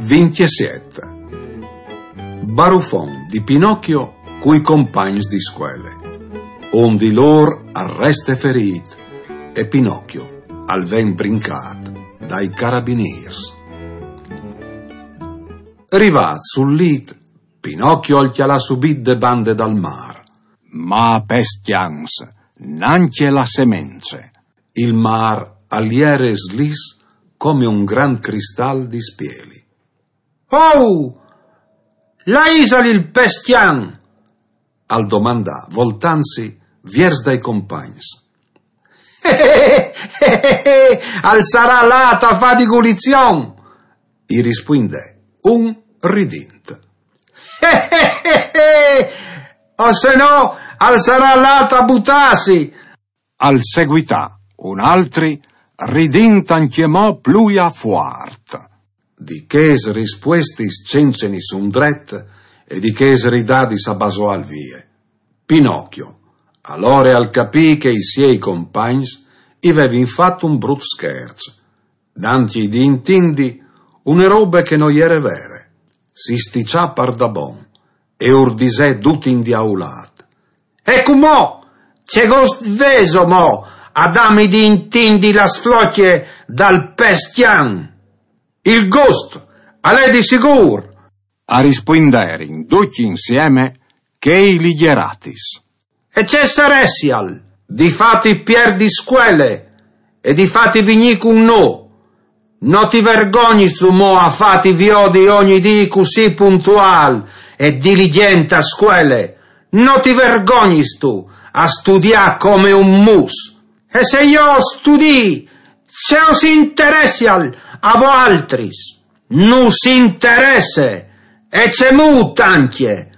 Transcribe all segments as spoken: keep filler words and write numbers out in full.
Vincjesiet. Barufon di Pinocchio cui compagns di scuele. Un di lôr al reste ferît e Pinocchio al ven brincât dai carabinîrs. Rivât sul lît, Pinocchio al cjalà subit de bande dal mâr. Ma pes cjans, nancje la semence. Il mâr al jere slis come un grant cristal di spieli. «Oh! Là isal il pes cjan?» al domandà, voltantsi viers dai compagns. «Al sarà lât a fâ di gulizion!» i rispuindè un ridint. «O se no, al sarà lât a butâsi!» al seguità un altri, ridint ancjemò plui a fuart. Di chês rispuestis cence nissun dret e di chês ridadis a basoâl vie. Pinocchio alore al capì che i siei compagns i vevin fat un brut scherç, dantji di intindi une robe che no jere vere. Si stiçà pardabon e ur disè dut indiaulât: «E cumò, ce gost vêso mo a dâmi di intindi la sflocje dal pes cjan?» «Il gost al è di sigûr!» a rispuinderin ducj insieme chei ligjeratis. «E ce saressial di fâti pierdi scuele e di fâti vignî cun nô? No ti vergognistu mo a fâti viodi ogni dì cussì puntuâl e diligjent a scuele? No ti vergognistu a studiâ come un mus?» «E se jo o studii, ce us interessial a voaltris?» «Nus interesse, e cemût ancje,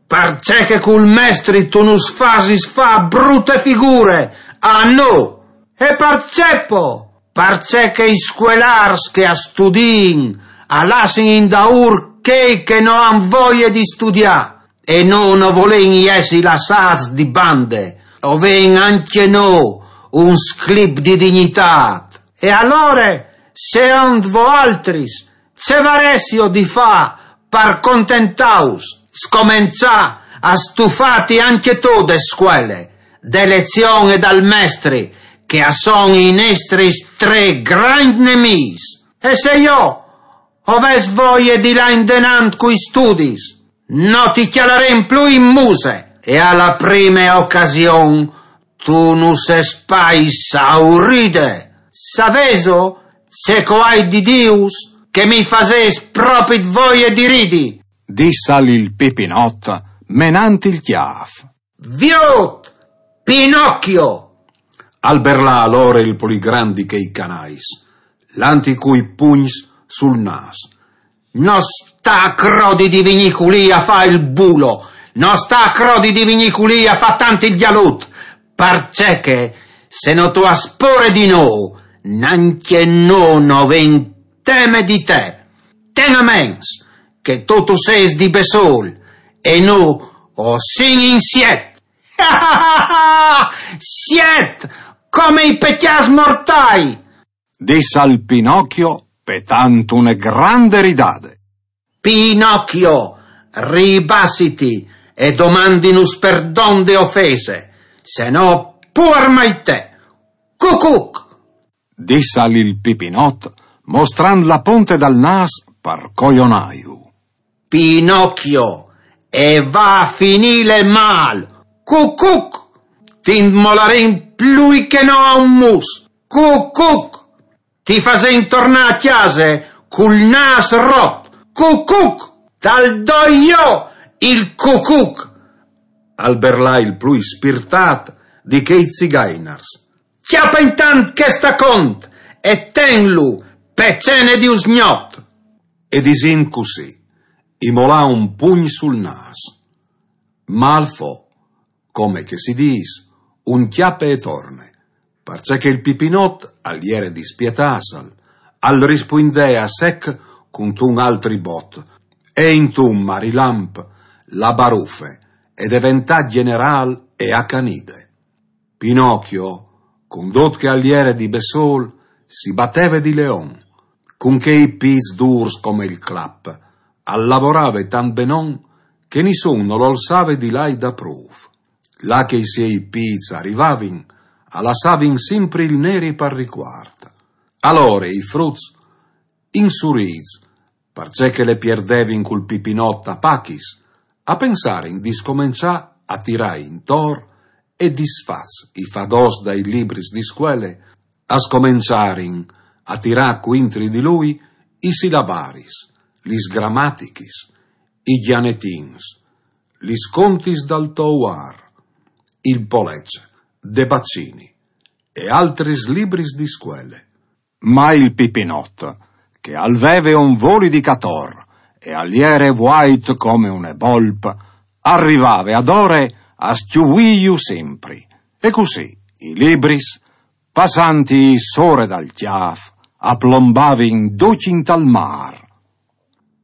parcè che cul mestri tu nus fasis fâ brute figure a nô!» «E parcè po?» «Parcè che i scuelârs che a studiin a lassin indaûr chei che no àn voie di studiâ, e nô no volìn jessi lassâts di bande, o vin ancje nô un sclip di dignitât.» «E alore, secont voaltris, ce varessio di fâ par contentâus?» «Scomençâ a stufâti ancje tu de scuele, de lezion e dal mestri, che a son i nestris trê grancj nemîs.» «E se jo o ves voie di lâ indenant cui studis?» «No ti cjalarìn plui in muse, e a la prime ocasion tu nus ès pai sauride.» «Savêso ce che o ai di dîus? Che mi fasês propit voie di ridi!» dissal il Pipinot, menant il cjâf. «Viôt, Pinocchio!» al berlà alore il plui grant di chei canais, lantji cui pugns sul nâs. «No sta a crodi di vignî culì a fâ il bulo, no sta a crodi di vignî culì a fâ tant il gjalut, parcè che, se no tu âs pôre di nô, nancje nô no vin teme di te. Ten a ments che tu tu sês di bessôl e nô o sin in siet.» «Siet, come i pecjâts mortâi!» dissal Pinocchio, petant une grande ridade. «Pinocchio, ribassiti e domandinus perdon de ofese, se no puar mai te! Cucuc!» dissal il Pipinot, mostrant la ponte dal nâs par cojonâju. «Pinocchio, e va a finîle mâl! Cucuc! Ti 'nt molarìn plui che no a un mus! Cucuc! Ti fasìn tornâ a cjase cul nâs rot! Cucuc! Tal doi jo il cucuc!» al berlà il plui spirtât di chei zigainars. «Cjape intant chest acont e tenlu pe cene di usgnot!» E disint cussì, i molà un pugn sul nâs. Ma al fo, come che si dîs, un cjape e torne, parcè che il Pipinot al jere dispietâtsal, al rispuindè a sec cuntun altri bot, e intun marilamp la barufe e deventà gjenerâl e acanide. Pinocchio, cun dut che al jere di bessôl, si bateve di leon, Cun chei pîts dûrs come il clap, al lavorave tant benon che nissun nol olsave di lâi daprûf. Là che i siei pîts a rivavin, a lassavin simpri il neri par ricuart. Alore i fruts, insurîts, parcè che le pierdevin cul Pipinot a pachis, a pensarin di scomençâ a tirâ intor e disfats i fagots dai libris di scuele, a scomençarin a tirâ cuintri di lui i silabaris, lis gramatichis, i gjanetins, lis contis dal Touar, il Polece, De Baccini e altris libris di scuele. Ma il Pipinot, che al veve un voli di cator e al jere vuait come une bolp, al rivave adore a scjuvîju simpri. E cussì i libris, passanti sore dal cjâf, a plombavin ducj intal mâr.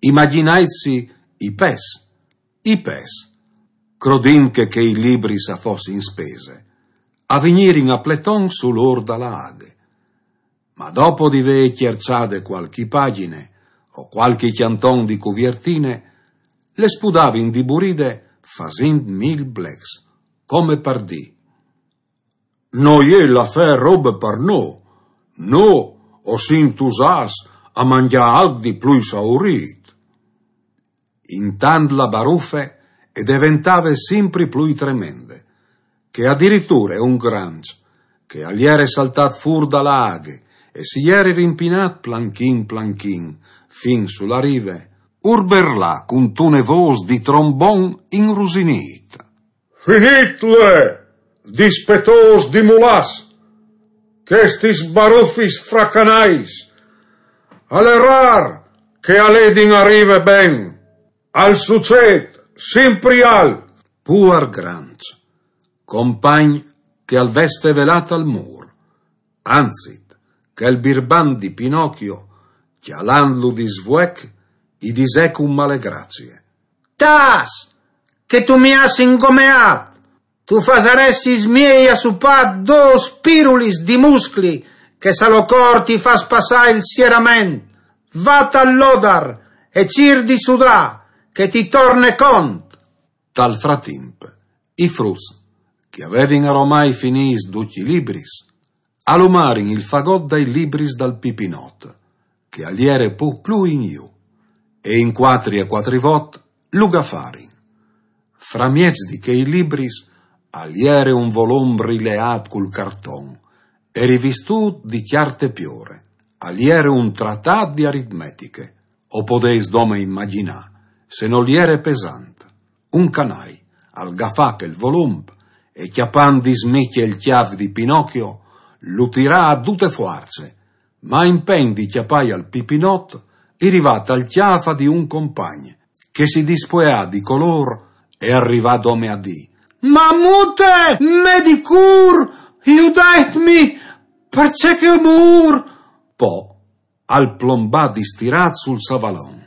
Imagjinaitsi i pes, i pes, crodint che chei libris a fossin spese, a vignirin a pleton sul ôr da la aghe. Ma dopo di vê cierçade cualchi pagjine o cualchi cjanton di cuviertine, le spudavin di buride fasint mil blecs, come par dî: «No je l'afâr robe par nô. Nô o sin tusâts a mangjâ alc di plui saurît.» Intant la barufe e deventave simpri plui tremende, che adiriture un granç, che al jere saltât fûr da la aghe e si jere rimpinât planchin planchin fin su la rive, urberlà cuntune vôs di trombon inrusinît: «Finitle, dispetôs di mulàs, chestis barufis fracanais! Al è râr che a ledin a rive ben. Al sucêt simpri alc.» Puar granç, compagn che al ves fevelât al mûr, anzit, chel birban di Pinocchio, cjalantlu di svuec, i disè cun male gracie: «Tâs, che tu mi âs ingomeât! Tu fasaressis miei a supâ dôs pirulis di muscli, che se lo cûr ti fâs passâ il sierament. Va tal lodar e cîr di sudâ, che ti torne cont.» Tal fratimp, i fruts, che a vevin aromai finîts ducj i libris, a lumarin il fagot dai libris dal Pipinot, che al jere pôc plui in jù, e in cuatri e cuatri vot lu gafarin. Framieç di chei libris al jere un volum rileât cul carton e rivistût di cjarte piore. Al jere un tratât di aritmetiche, o podês dome imagjinâ, se nol jere pesant. Un canai al gafà chel volum e, cjapant di smicje il cjâf di Pinocchio, lu tirà a dute fuarce, ma impen di cjapâi al Pipinot, i rivà tal cjâf di un compagn, che si dispueà di colôr e al rivà dome a dî: «Mamute, me di cûr, judaitmi, parcè che o mûr!» Po al plombà distirât sul savalon.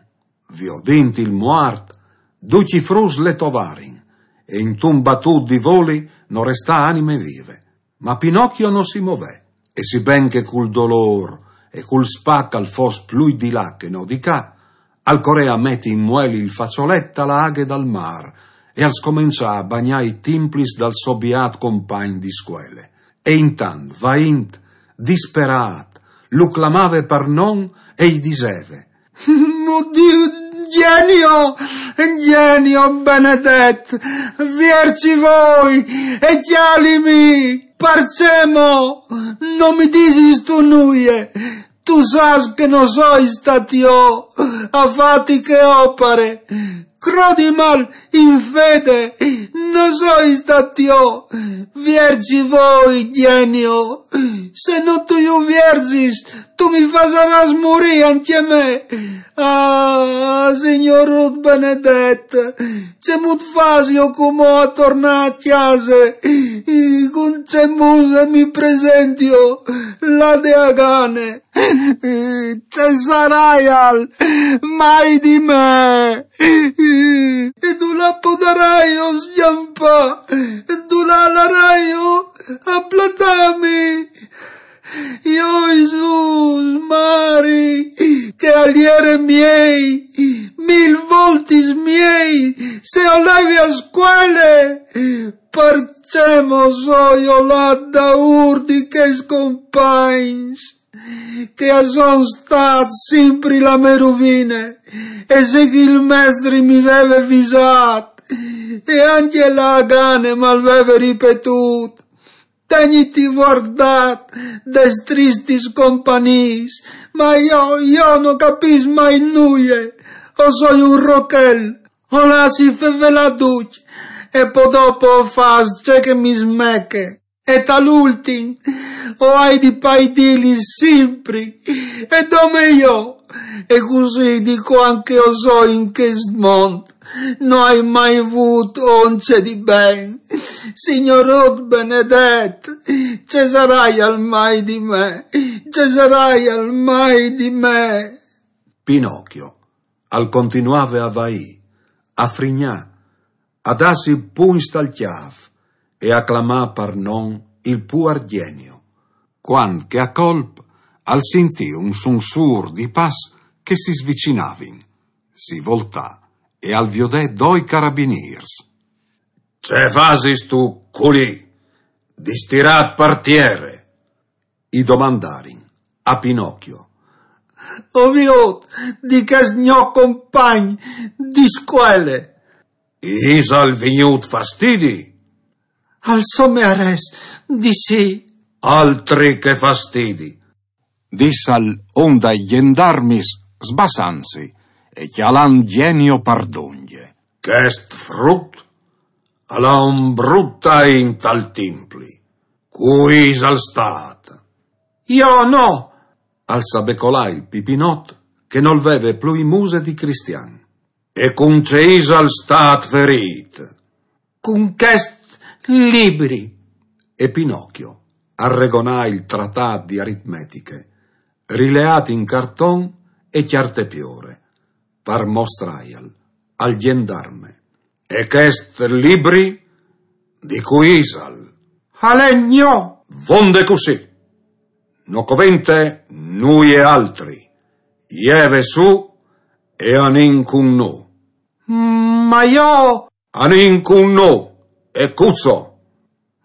Viodint il muart, ducj i fruts le tovarin, e intun batût di voli no restà anime vive. Ma Pinocchio no si movè, e siben che cul dolôr e cul spac al fos plui di là che no di ca, al corè a meti in mueli il façolet a la aghe dal mâr e al scomençà a bagnâ i timplis dal so biât compagn di scuele. E intant, vaint, disperât, lu clamave par non e i diseve: «O Diu, Genio, Genio benedet, vierzi voi e cjalimi, parcè mo no mi disistu nuie? Tu sâs che no soi stât jo a fâti chê opare. Crodi mal in fede, no soi stât jo. Vierzi voi, Genio. Se no tu ju vierzis, tu mi fasarâs murî ancje me. Ah, Signôr benedet, cemût fasio cumò a tornâ a cjase? Cun ce muse mi presentio là de Agane?» «Ce saraial mai di me?» «E dulà podaraio scjampâ? E dulà laraio a platâmi?» Io Jesùs, mari, che al jere miei, mil voltis miei, se o levi a scuele, parcè mo soi olât daûr di chescj compagns, che a son stâts simpri la mê ruvine, e se che il mestri mi veve visât, e ancje la Agane mal veve ripetût, tegniti vuardât des tristis compagniis, ma io, io no capìs mai nuie, o soi un rochel, o lassi fevelâ ducj, e po dopo o fâs ce che mi smeche. E tal ultin, o ai di paidîlis simpri, e dome jo, e cussì di cuant che o soi in chest mont, no ai mai vût once di ben. Signor Rut benedet, ce saraial mai di me? Ce saraial mai di me? Pinocchio al continuave a vaî, a frignâ, a dâsi pugns tal cjâf e a clamâ par non il puar Genio, cuant che a colp al sintì un sunsûr di pas che si svicinavin. Si voltà e al viodè doi carabinîrs. Ce fasistu culì, distirât par tiere? I domandarin a Pinocchio. O viôt di chest gno compagn di scuele. Isal vignût fastidi? Al so mearès di sì. Altri che fastidi! Dissal un dai gjendarmis sbassantsi e cjalant Genio par dongje. Chest frut al à un brut tai intal timpli. Cui isal stât? Jo no! Al sabecolà il Pipinot, che nol veve plui muse di cristian. E cun ce isal stât ferît? Cun chest libri. E Pinocchio al regonà il tratât di aritmetiche, rileât in carton e cjarte piore, par mostrâial al gjendarme. E chest libri di cui isal? Al è gno. Vonde cussì. No covente nuie altri. Jeve sù e anìn cun nô. Ma jo... Anìn cun nô, e cuzo.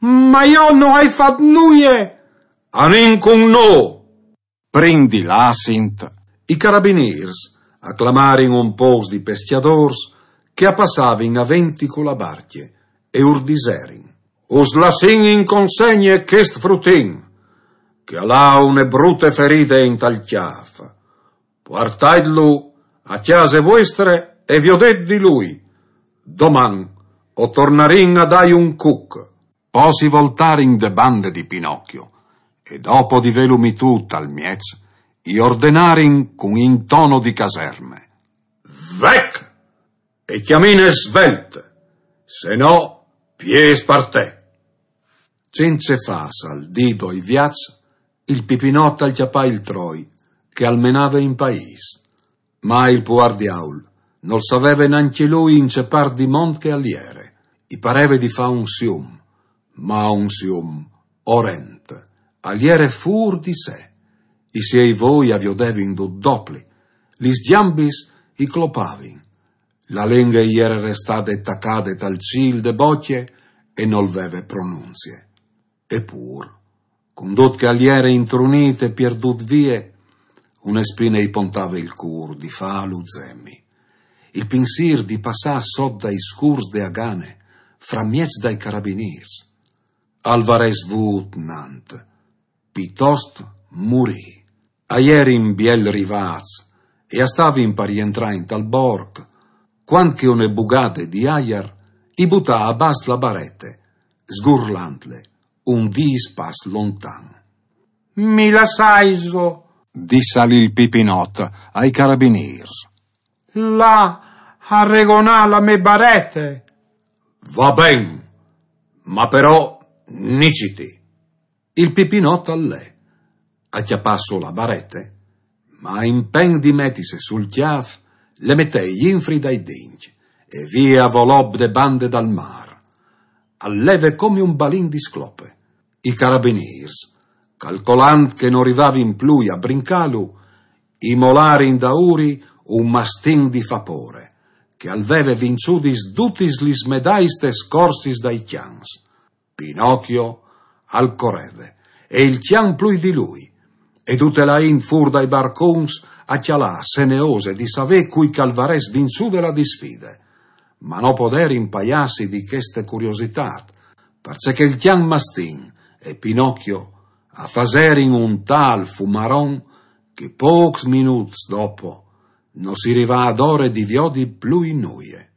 Ma jo no ai fat nuie. Anìn cun nô. Prin di lâsint, i carabinîrs a clamarin un pôcs di pescjadôrs che a passavin a venti cu la barcje e ur diserin: Us lassìn in consegne chest frutin, che al à une brute feride intal cjâf. Puartaitlu a cjase vuestre e viodêt di lui. Doman o tornarìn a dâi un cuc. Po si voltarin de bande di Pinocchio, e dopo di vêlu mitût tal mieç, i ordenarin cun intono di caserme: Vec! E cjamine svelt, se no, piês par te! Cence fâ saldî doi viats, il Pipinot al cjapà il troi, che al menave in paîs. Ma il puar diaul nol saveve nancje lui in ce part di mont che al jere. I pareve di fâ un sium, ma un sium orent. Al jere fûr di se. I siei voi a viodevin dut dopli. Lis gjambis i clopavin. La lenghe i jere restade tacade tal cîl de bocje e nol veve pronunzie. E pûr, cun dut che al jere intrunît e pierdût vie, une spine i pontave il cûr di fâlu zemi. Il pinsîr di passâ sot dai scûrs de Agane, framieç dai carabinîrs. Al varès vût nant. Pitost murî. A jerin biel rivâts e a stavin par jentrâ intal borc, cuant che une bugade di aiar i butà a bas la barete, sgurlantle un dîs pas lontan. Mi lassaiso, dissal il Pipinot ai carabinîrs. Lâ a regonâ la mê barete. Va ben, ma però niciti. Il Pipinot al lè, a cjapà sù la barete, ma in plen di metise sul cjâf le metè jenfri dai dincj e vie a volop de bande dal mâr. Al leve come un balin di sclope. I carabinîrs, Calcolant che no rivavin plui a brincâlu, i molarin daûri un mastin di fapore, che al veve vinçudis dutis lis medaistes corsis dai cjans. Pinocchio al coreve, e il cjan plui di lui, e dute la int fûr dai barcuns a cjalâ, seneose di savê cui che al varès vinçude la disfide. Ma no poderin paiâsi di cheste curiositât, parcè che il cjan mastin e Pinocchio a faserin un tâl fumaron che pôcs minuts dopo no si rivà adore di viodi plui nuie.